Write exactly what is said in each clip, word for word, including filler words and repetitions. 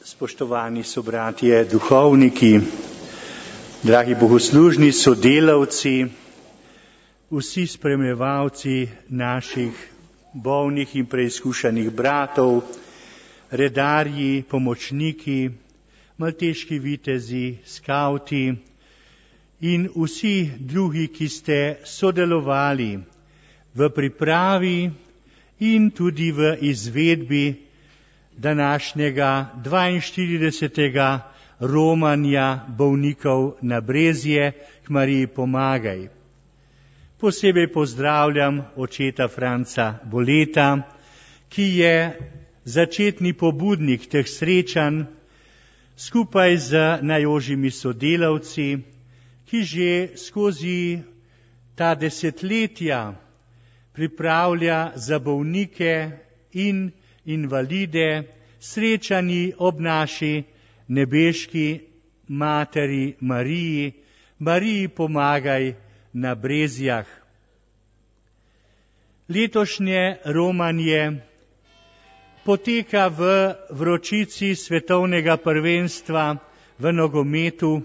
Spoštovani sobratje, duhovniki, dragi bogoslužni sodelavci, vsi spremljevalci naših bolnih in preizkušanih bratov, redarji, pomočniki, malteški vitezi, skavti in vsi drugi, ki ste sodelovali v pripravi in tudi v izvedbi današnjega dvainštiridesetega romanja bolnikov na Brezje k Mariji pomagaj. Posebej pozdravljam očeta Franca Boleta, ki je začetni pobudnik teh srečanj skupaj z najožjimi sodelavci, ki že skozi ta desetletja pripravlja za bolnike in invalide srečani ob naši nebeški materi Mariji, Mariji pomagaj na Brezjah. Letošnje romanje poteka v vročici svetovnega prvenstva v nogometu,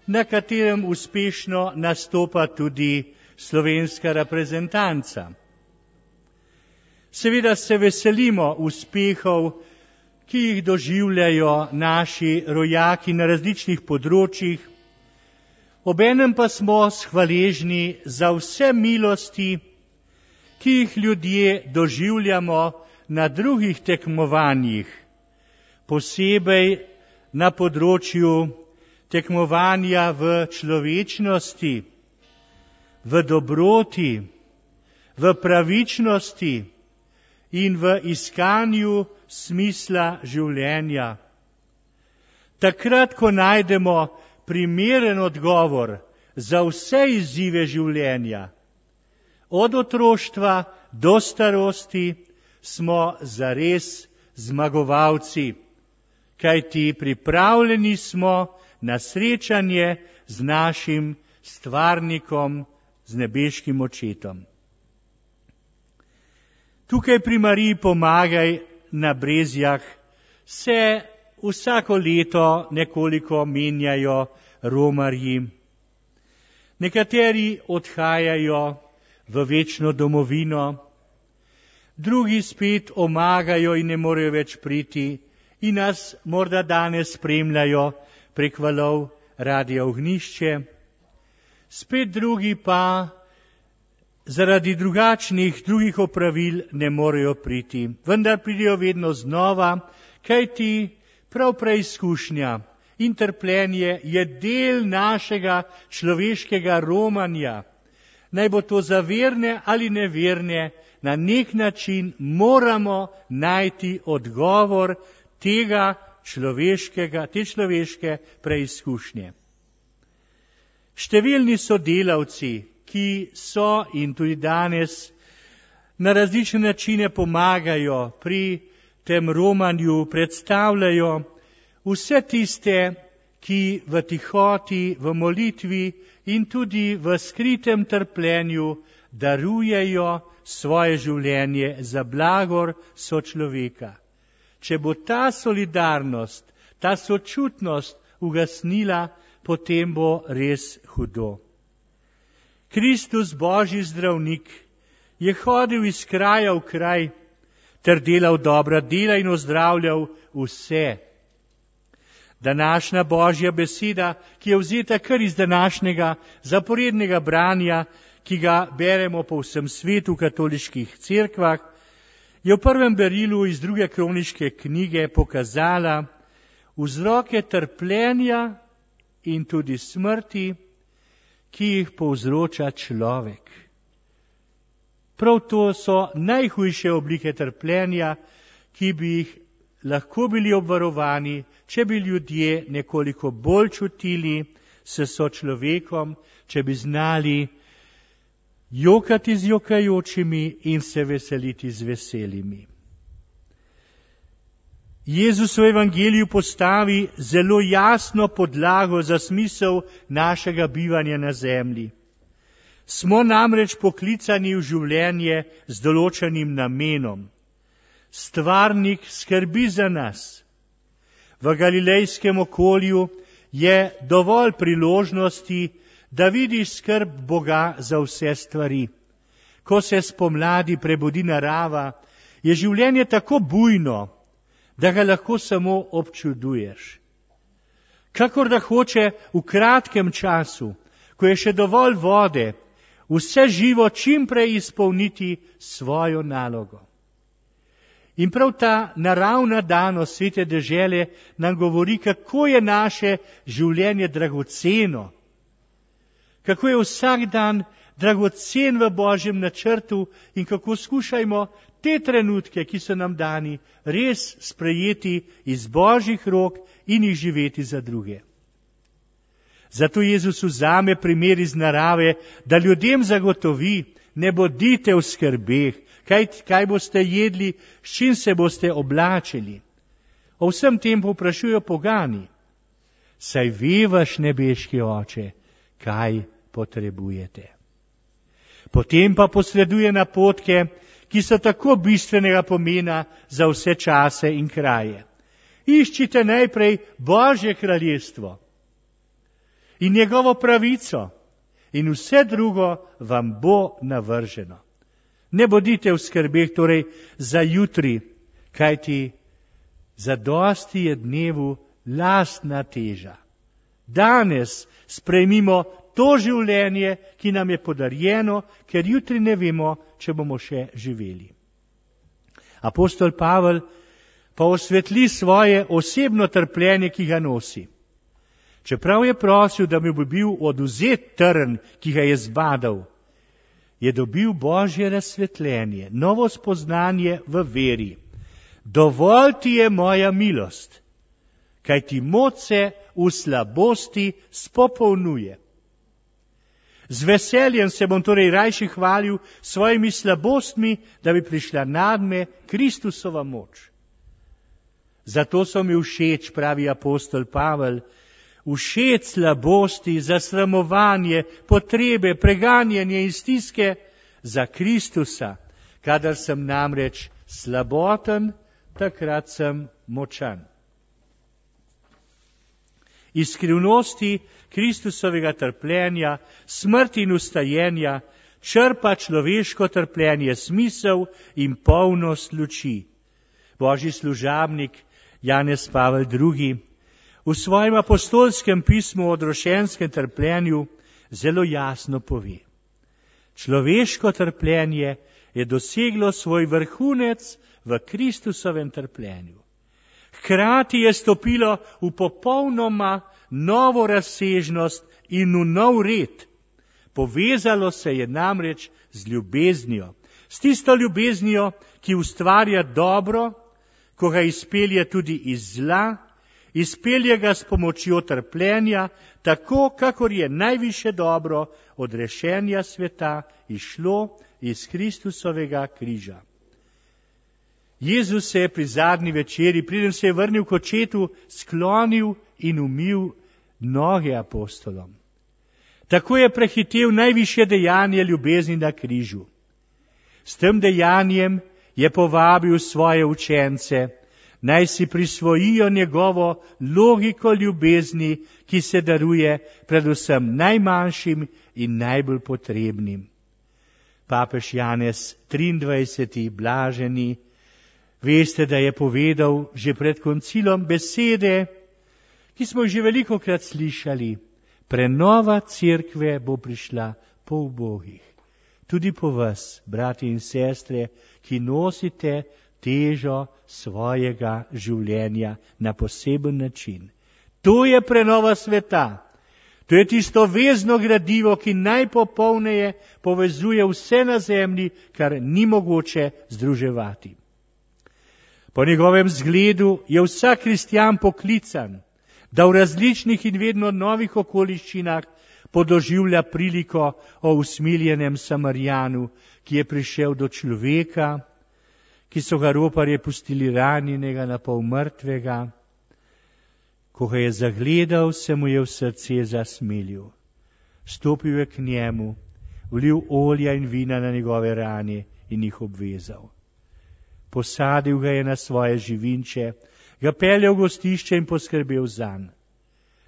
na katerem uspešno nastopa tudi slovenska reprezentanca. Seveda se veselimo uspehov, ki jih doživljajo naši rojaki na različnih področjih, obenem pa smo hvaležni za vse milosti, ki jih ljudje doživljamo na drugih tekmovanjih, posebej na področju tekmovanja v človečnosti, v dobroti, v pravičnosti in v iskanju smisla življenja. Takrat, ko najdemo primeren odgovor za vse izzive življenja, od otroštva do starosti, smo zares zmagovalci, kajti pripravljeni smo na srečanje z našim stvarnikom, z nebeškim očetom. Tukaj pri Mariji pomagaj na Brezjah se vsako leto nekoliko menjajo romarji. Nekateri odhajajo v večno domovino, drugi spet omagajo in ne morejo več priti in nas morda danes spremljajo prek valov Radia Ognjišče. Spet drugi pa zaradi drugačnih drugih opravil ne morejo priti, vendar pridejo vedno znova, kajti prav preizkušnja in trpljenje je del našega človeškega romanja. Naj bo to za verne ali neverne, na nek način moramo najti odgovor tega človeškega, te človeške preizkušnje. Številni sodelavci, ki so in tudi danes na različne načine pomagajo pri tem romanju, predstavljajo vse tiste, ki v tihoti, v molitvi in tudi v skritem trpljenju darujejo svoje življenje za blagor sočloveka. Če bo ta solidarnost, ta sočutnost ugasnila, potem bo res hudo. Kristus, Božji zdravnik, je hodil iz kraja v kraj ter delal dobra dela in ozdravljal vse. Današnja Božja beseda, ki je vzeta kar iz današnjega zaporednega branja, ki ga beremo po vsem svetu v katoliških cerkvah, je v prvem berilu iz druge kroniške knjige pokazala vzroke trpljenja in tudi smrti, ki jih povzroča človek. Prav to so najhujše oblike trpljenja, ki bi jih lahko bili obvarovani, če bi ljudje nekoliko bolj čutili s sočlovekom, če bi znali jokati z jokajočimi in se veseliti z veselimi. Jezus v evangeliju postavi zelo jasno podlago za smisel našega bivanja na zemlji. Smo namreč poklicani v življenje z določenim namenom. Stvarnik skrbi za nas. v galilejskem okolju je dovolj priložnosti, da vidi skrb Boga za vse stvari. Ko se spomladi prebudi narava, je življenje tako bujno, da ga lahko samo občuduješ. Kakor da hoče v kratkem času, ko je še dovolj vode, vse živo čim prej izpolniti svojo nalogo. In prav ta naravna danost svete dežele nam govori, kako je naše življenje dragoceno, kako je vsak dan dragocen v Božjem načrtu in kako skušajmo te trenutke, ki so nam dani, res sprejeti iz Božjih rok in jih živeti za druge. Zato Jezus vzame primer iz narave, da ljudem zagotovi, ne bodite v skrbeh, kaj, kaj boste jedli, s čim se boste oblačili. O vsem tem povprašujejo pogani. Saj ve vaš nebeški Oče, kaj potrebujete. Potem pa posreduje napotke, ki so tako bistvenega pomena za vse čase in kraje. Iščite najprej Božje kraljestvo in njegovo pravico in vse drugo vam bo navrženo. Ne bodite v skrbeh torej za jutri, kajti zadosti je dnevu lastna teža. Danes sprejmimo to življenje, ki nam je podarjeno, ker jutri ne vemo, če bomo še živeli. Apostol Pavel pa osvetli svoje osebno trpljenje, ki ga nosi. Čeprav je prosil, da mu bi bil odvzet trn, ki ga je zbadal, je dobil Božje razsvetljenje, novo spoznanje v veri. Dovolj ti je moja milost, kaj ti moč se v slabosti spopolnjuje. Z veseljem se bom torej rajši hvalil svojimi slabostmi, da bi prišla nadme Kristusova moč. Zato so mi všeč, pravi apostol Pavel, všeč slabosti, zasramovanje, potrebe, preganjanje in stiske za Kristusa. Kadar sem namreč slaboten, takrat sem močan. Iz skrivnosti Kristusovega trpljenja, smrti in ustajenja črpa človeško trpljenje smisel in polnost luči. Božji služabnik Janez Pavel drugi v svojem apostolskem pismu o odrošenskem trpljenju zelo jasno pove. Človeško trpljenje je doseglo svoj vrhunec v Kristusovem trpljenju. Hkrati je stopilo v popolnoma novo razsežnost in v nov red. Povezalo se je namreč z ljubeznijo, s tisto ljubeznijo, ki ustvarja dobro, ko ga izpelje tudi iz zla, izpelje ga s pomočjo trpljenja, tako kakor je najviše dobro od rešenja sveta izšlo iz Kristusovega križa. Jezus se je pri zadnji večeri, preden se je vrnil k očetu, sklonil in umil noge apostolom. Tako je prehitel najvišje dejanje ljubezni na križu. S tem dejanjem je povabil svoje učence, naj si prisvojijo njegovo logiko ljubezni, ki se daruje predvsem najmanjšim in najbolj potrebnim. Papež Janez triindvajseti blaženi, veste, da je povedal že pred koncilom besede, ki smo jih že velikokrat slišali. Prenova cerkve bo prišla po ubogih. Tudi po vas, brati in sestre, ki nosite težo svojega življenja na poseben način. To je prenova sveta. To je tisto vezno gradivo, ki najpopolneje povezuje vse na zemlji, kar ni mogoče združevati. Po njegovem zgledu je vsak kristjan poklican, da v različnih in vedno novih okoliščinah podoživlja priliko o usmiljenem Samarijanu, ki je prišel do človeka, ki so ga roparje pustili ranjenega na pol mrtvega. Ko ga je zagledal, se mu je v srce zasmilil. Stopil je k njemu, vlil olja in vina na njegove rane in jih obvezal. Posadil ga je na svoje živinče, ga peljal v gostišče in poskrbel zanj.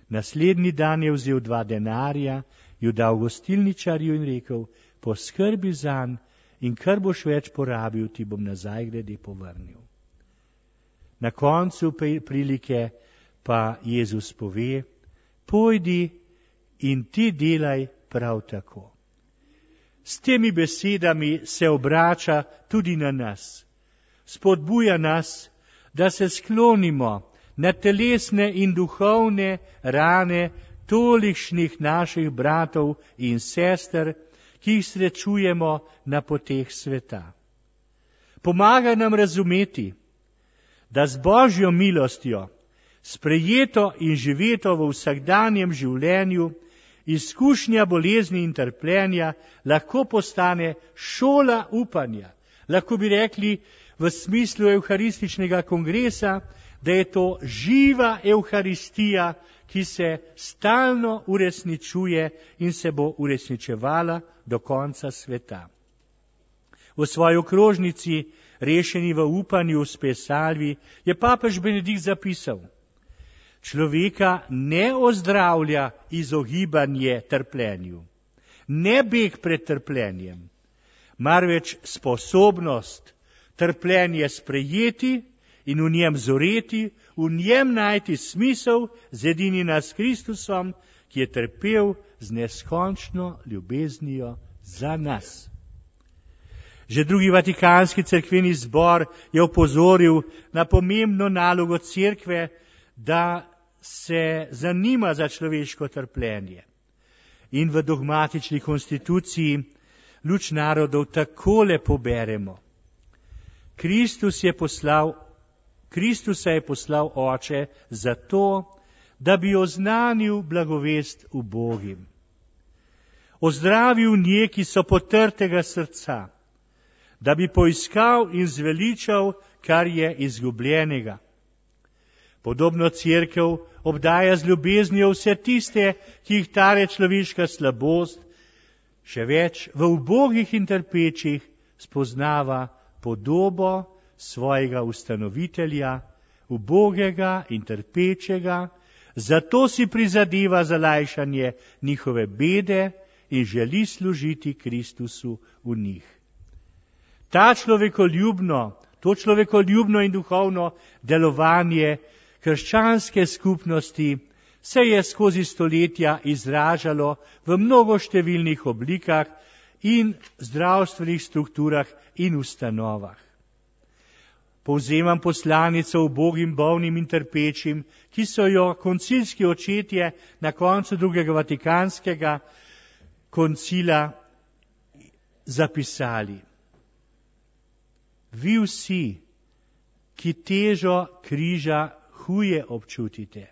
Naslednji dan je vzel dva denarja, ju dal gostilničarju in rekel, poskrbi zanj in kar boš več porabil, ti bom nazaj glede povrnil. Na koncu prilike pa Jezus pove, pojdi in ti delaj prav tako. S temi besedami se obrača tudi na nas. Spodbuja nas, da se sklonimo na telesne in duhovne rane tolikšnih naših bratov in sester, ki jih srečujemo na poteh sveta. Pomaga nam razumeti, da z Božjo milostjo, sprejeto in živeto v vsakdanjem življenju, izkušnja bolezni in trpljenja lahko postane šola upanja. Lahko bi rekli v smislu evharističnega kongresa, da je to živa evharistija, ki se stalno uresničuje in se bo uresničevala do konca sveta. V svoji okrožnici, rešeni v upanju v Spesalvi, je papež Benedikt zapisal, človeka ne ozdravlja izogibanje trpljenju, ne beg pred trpljenjem, marveč sposobnost trpljenje sprejeti in v njem zoreti, v njem najti smisel zedinjenja s Kristusom, ki je trpel z neskončno ljubeznijo za nas. Že drugi Vatikanski cerkveni zbor je opozoril na pomembno nalogo cerkve, da se zanima za človeško trpljenje. In v dogmatični konstituciji Luč narodov takole poberemo. Kristus je poslal, Kristusa je poslal Oče zato, da bi oznanil blagovest ubogim. Ozdravil nje, ki so potrtega srca, da bi poiskal in zveličal, kar je izgubljenega. Podobno cerkev obdaja z ljubeznijo vse tiste, ki jih tare človeška slabost, še več v ubogih in trpečih spoznava podobo svojega ustanovitelja, ubogega in trpečega, zato si prizadeva za lajšanje njihove bede in želi služiti Kristusu v njih. Ta človekoljubno, to človekoljubno in duhovno delovanje krščanske skupnosti se je skozi stoletja izražalo v mnogoštevilnih oblikah in zdravstvenih strukturah in ustanovah. Povzemam poslanico ubogim, bolnim in trpečim, ki so jo koncilski očetje na koncu drugega Vatikanskega koncila zapisali. Vi vsi, ki težo križa huje občutite,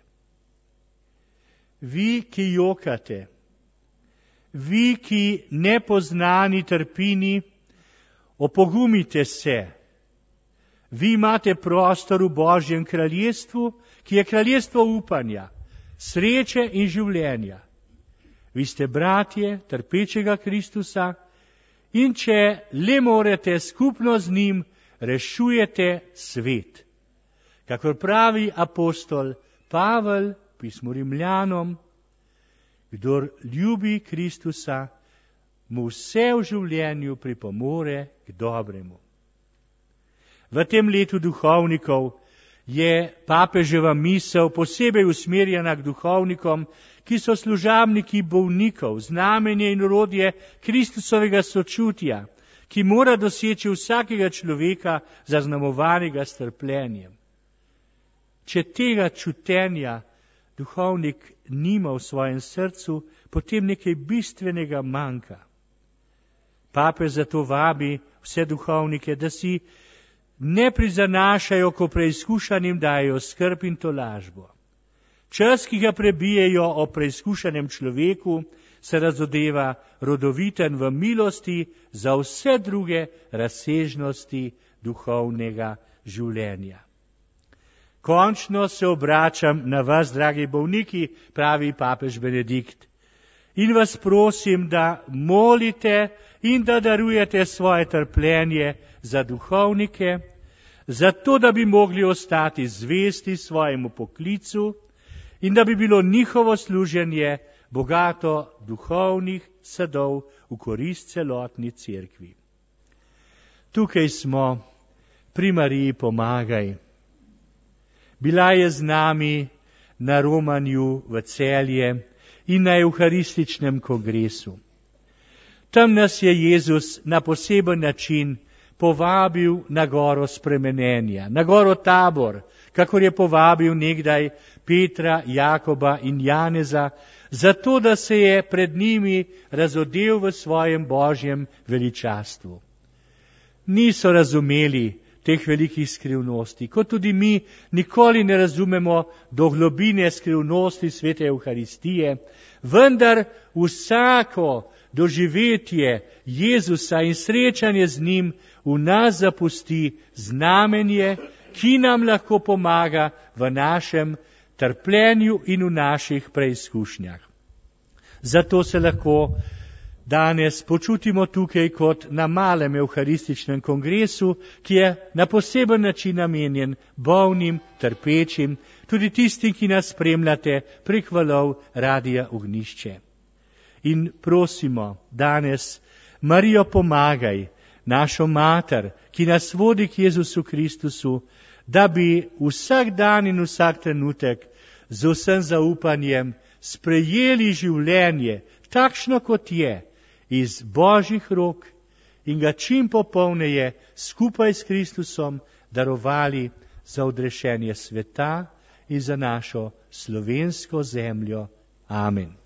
vi, ki jokate, vi, ki nepoznani trpini, opogumite se. Vi imate prostor v Božjem kraljestvu, ki je kraljestvo upanja, sreče in življenja. Vi ste bratje trpečega Kristusa in če le morete skupno z njim, rešujete svet. Kakor pravi apostol Pavel, pismu Rimljanom, kdor ljubi Kristusa, mu vse v življenju pripomore k dobremu. V tem letu duhovnikov je papeževa misel posebej usmerjena k duhovnikom, ki so služabniki bolnikov, znamenje in orodje Kristusovega sočutja, ki mora doseči vsakega človeka zaznamovanega s trpljenjem. Če tega čutenja duhovnik nima v svojem srcu, potem nekaj bistvenega manjka. Papež zato vabi vse duhovnike, da si ne prizanašajo, ko preizkušanim dajo skrb in tolažbo. Čas, ki ga prebijejo o preizkušanem človeku, se razodeva rodoviten v milosti za vse druge razsežnosti duhovnega življenja. Končno se obračam na vas, dragi bolniki, pravi papež Benedikt, in vas prosim, da molite in da darujete svoje trpljenje za duhovnike, zato da bi mogli ostati zvesti svojemu poklicu in da bi bilo njihovo služenje bogato duhovnih sadov v korist celotni cerkvi. Tukaj smo, pri Mariji pomagaj. Bila je z nami na romanju v Celje in na evharističnem kongresu. Tam nas je Jezus na poseben način povabil na goro spremenenja, na goro Tabor, kakor je povabil nekdaj Petra, Jakoba in Janeza, zato da se je pred njimi razodel v svojem božjem veličastvu. Niso razumeli teh velikih skrivnosti, kot tudi mi nikoli ne razumemo do globine skrivnosti svete Evharistije, vendar vsako doživetje Jezusa in srečanje z njim v nas zapusti znamenje, ki nam lahko pomaga v našem trpljenju in v naših preizkušnjah. Zato se lahko danes počutimo tukaj kot na malem evharističnem kongresu, ki je na poseben način namenjen bolnim, trpečim, tudi tistim, ki nas spremljate prek valov Radia Ognjišče. In prosimo danes, Marijo pomagaj, našo mater, ki nas vodi k Jezusu Kristusu, da bi vsak dan in vsak trenutek z vsem zaupanjem sprejeli življenje, takšno kot je, iz Božjih rok in ga čim popolneje skupaj s Kristusom darovali za odrešenje sveta in za našo slovensko zemljo. Amen.